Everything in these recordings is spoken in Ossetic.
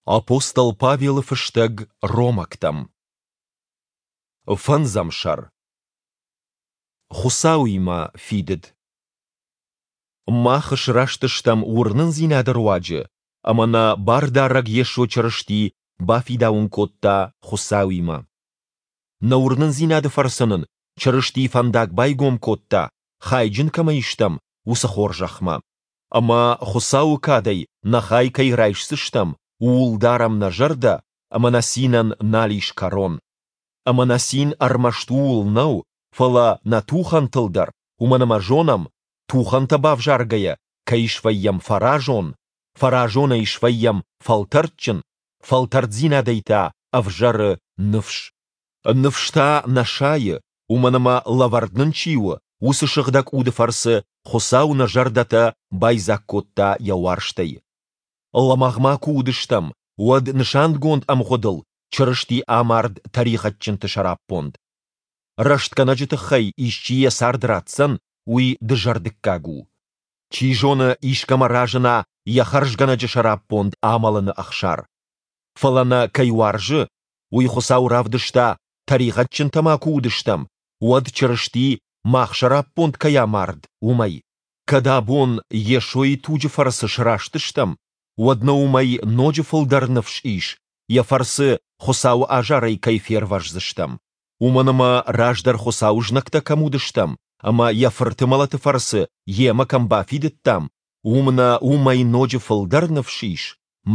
Апостол Павелы фыстӕг Ромӕгтӕм. Фӕндзӕм сӕр. Хуыцауимӕ фидыд. Мах сраст стӕм уырнындзинады руаджы, ӕмӕ нӕ Бардарӕг Йесо Чырысти бафидауын кодта Хуыцауимӕ. Нӕ уырнындзинады фӕрцы нын Чырысти фӕндаг байгом кодта, хайджын кӕмӕй стӕм, уыцы хорзӕхмӕ. Ӕмӕ Хуыцауы кадӕй нӕ хай кӕй райсдзыстӕм, ууыл дарӕм нӕ зӕрдӕ, ӕмӕ нӕ цинӕн нал ис кӕрон. Ӕмӕ нӕ цин ӕрмӕст ууыл нӕу, фӕлӕ нӕ тухӕнтыл дӕр, уымӕн ӕмӕ зонӕм, тухӕнтӕ бавзаргӕйӕ кӕй свӕййӕм фӕразон, фӕразонӕй свӕййӕм фӕлтӕрдджын, фӕлтӕрддзинадӕй та ӕвзӕры ныфс. Ныфс та нӕ сайы, уымӕн ӕмӕ лӕвӕрд нын чи у, уыцы Сыгъдӕг Уды фӕрцы Хуыцау нӕ зӕрдӕтӕ байдзаг кодта йӕ уарзтӕй. Лӕмӕгъ ма куы уыдыстӕм, уӕд нысангонд ӕмгъуыдыл Чырысти амард тӕригъӕдджынты сӕраппонд. Рӕстгӕнӕджы тыххӕй исчи йӕ цард ратдзӕн, уый дызӕрдыггаг у. Чи зоны, искӕмӕ разына йӕ хӕрзгӕнӕджы сӕраппонд амӕлыны ӕхсар. Фӕлӕ нӕ кӕй уарзы, уый Хуыцау равдыста, тӕригъӕдджынтӕ ма куы уыдыстӕм, уӕд Чырысти мах сӕраппонд кӕй амард, уымӕй. Кӕд абон Йесойы туджы фӕрцы сраст стӕм, уӕд нӕ уымӕй ноджы фылдӕр ныфс ис, йӕ фӕрцы Хуыцауы азарӕй кӕй фервӕздзыстӕм. Уымӕн ӕмӕ раздӕр Хуыцауы знӕгтӕ кӕм уыдыстӕм ӕмӕ йӕ Фырты мӕлӕты фӕрцы йемӕ кӕм бафидыдтам, уым нӕ уымӕй ноджы фылдӕр ныфс ис,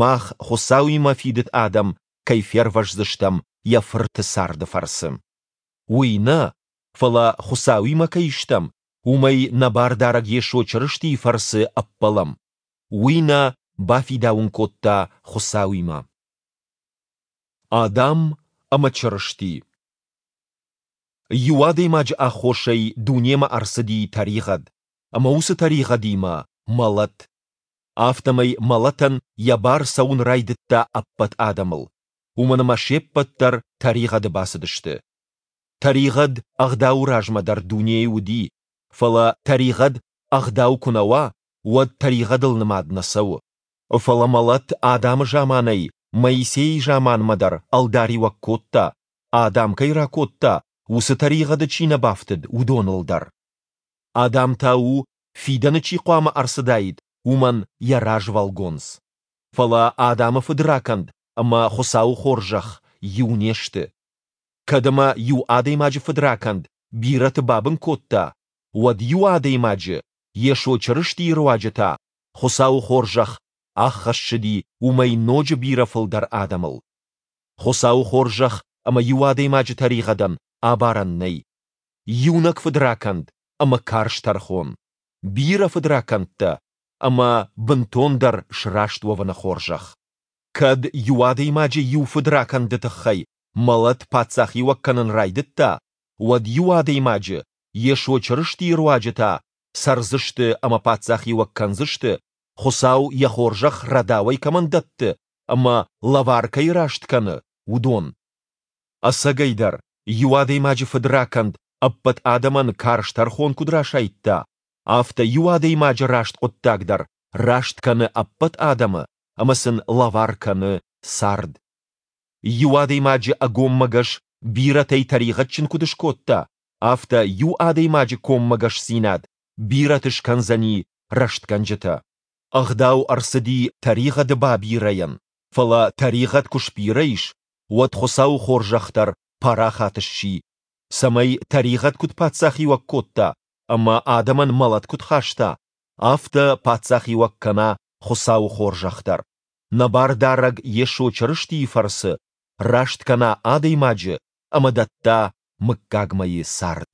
мах, Хуыцауимӕ фидыд адӕм, кӕй фервӕздзыстӕм йӕ Фырты царды фӕрцы. Уый нӕ, фӕлӕ Хуыцауимӕ кӕй стӕм, уымӕй нӕ Бардарӕг Йесо Чырыстийы фӕрцы ӕппӕлӕм. Уый нӕ бафидауын кодта Хуыцауимӕ. Адам ӕмӕ Чырысти. Иу адӕймаджы аххосӕй дунемӕ ӕрцыди тӕригъӕд, ӕмӕ уыцы тӕригъӕдимӕ мӕлӕт. Афтӕмӕй мӕлӕтӕн йӕ бар цӕуын райдыдта ӕппӕт адӕмыл, уымӕн ӕмӕ се ппӕт дӕр тӕригъӕды бацыдысты. Тӕригъӕд ӕгъдауы размӕ дӕр дунейы уыди, фӕлӕ тӕригъӕд ӕгъдау куы нӕ уа, уӕд тӕригъӕдыл нымад нӕ цӕуы. Фӕлӕ мӕлӕт Адамы заманӕй Моисейы заманмӕ дӕр ӕлдариуӕг кодта, Адам кӕй ракодта, уыцы тӕригъӕды чи нӕ бафтыд, уыдоныл дӕр. Адам та у, фидӕны чи хъуамӕ ӕрцыдаид, уымӕн йӕ развӕлгонц. Фӕлӕ Адамы фыдракӕнд ӕмӕ Хуыцауы хорзӕх иу не сты. Кӕд ӕмӕ иу адӕймаджы фыдракӕнд бирӕты бабын кодта, уӕд иу адӕймаджы, Йесо Чырыстийы руаджы та, Хуыцауы хорзӕх аххӕссыди уымӕй ноджы бирӕ фылдӕр адӕмыл. Хуыцауы хорзӕх ӕмӕ иу адӕймаджы тӕригъӕдӕн абарӕн нӕй. Иунӕг фыдракӕнд ӕмӕ карз тӕрхон, бирӕ фыдракӕндтӕ ӕмӕ бынтондӕр сраст уӕвыны хорзӕх. Кӕд иу адӕймаджы иу фыдракӕнды тыххӕй мӕлӕт паддзахиуӕг кӕнын райдыдта, уӕд иу адӕймаджы, Йесо Чырыстийы руаджы та, цӕрдзысты ӕмӕ паддзахиуӕг кӕндзысты, Хуыцау йӕ хорзӕх рӕдауӕй кӕмӕн дӕтты ӕмӕ лӕвар кӕй раст кӕны, уыдон. Ӕцӕгӕйдӕр, иу адӕймаджы фыдракӕнд ӕппӕт адӕмӕн карз тӕрхон куыд расайдта, афтӕ иу адӕймаджы раст хъуыддаг дӕр раст кӕны ӕппӕт адӕмы ӕмӕ сын лӕвар кӕны цард. Иу адӕймаджы ӕгоммӕгӕс бирӕтӕй тӕригъӕдджын куыд скодта, афтӕ иу адӕймаджы коммӕгӕсдзинад бирӕты скӕндзӕни рӕстгӕнджытӕ. Ӕгъдау ӕрцыди тӕригъӕды бабирӕйӕн, фӕлӕ тӕригъӕд куы сбирӕ ис, уӕд Хуыцауы хорзӕх дӕр парахат сси, цӕмӕй тӕригъӕд куыд паддзахиуӕг кодта ӕмӕ адӕмӕн мӕлӕт куыд хаста, афтӕ паддзахиуӕг кӕна Хуыцауы хорзӕх дӕр, нӕ Бардарӕг Йесо Чырыстийы фӕрцы раст кӕна адӕймаджы ӕмӕ дӕтта мыггагмӕйы цард.